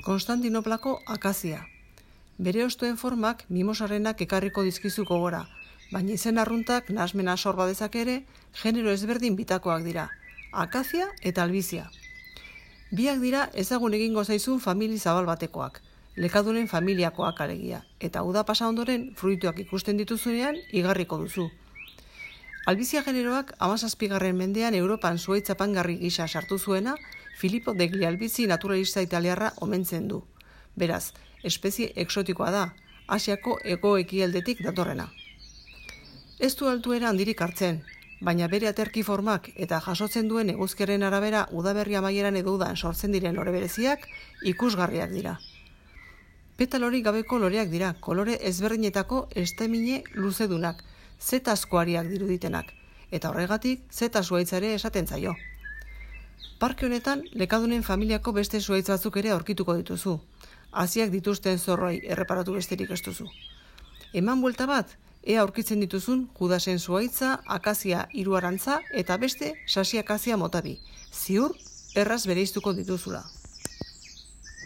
Konstantinoplako akazia. Bere ostuen formak mimosarenak ekarriko dizkizu gogora, baina izen arruntak nahasmena sor badezak ere, genero ezberdin bitakoak dira, akazia eta albizia. Biak dira ezagun egingo zaizun famili zabal batekoak, lekadunen familiakoak alegia, eta uda pasa ondoren fruituak ikusten dituzunean igarriko duzu. Albizia generoak 17. mendean Europan zuhaitzapangarri gisa sartu zuena, Filippo degli Albizzi naturalista italiarra omentzen du. Beraz, espezie exotikoa da, Asiako hego-ekialdetik datorrena. Ez du altuera handirik hartzen, baina bere aterki formak eta jasotzen duen eguzkiaren arabera udaberri amaieran edo udan sortzen diren lore bereziak ikusgarriak dira. Petalorik gabeko loreak dira, kolore ezberdinetako estamine luzedunak, zetazkoariak diruditenak, eta horregatik zeta zuhaitzare esaten zaio. Parke honetan, lekadunen familiako beste zuhaitz batzuk ere aurkituko dituzu. Haziak dituzten zorroi erreparatu besterik ez duzu. Eman buelta bat, ea aurkitzen dituzun Judasen zuhaitza, akazia hiruarantza eta beste sasiakazia motabi. Ziur, erraz bereiztuko dituzula.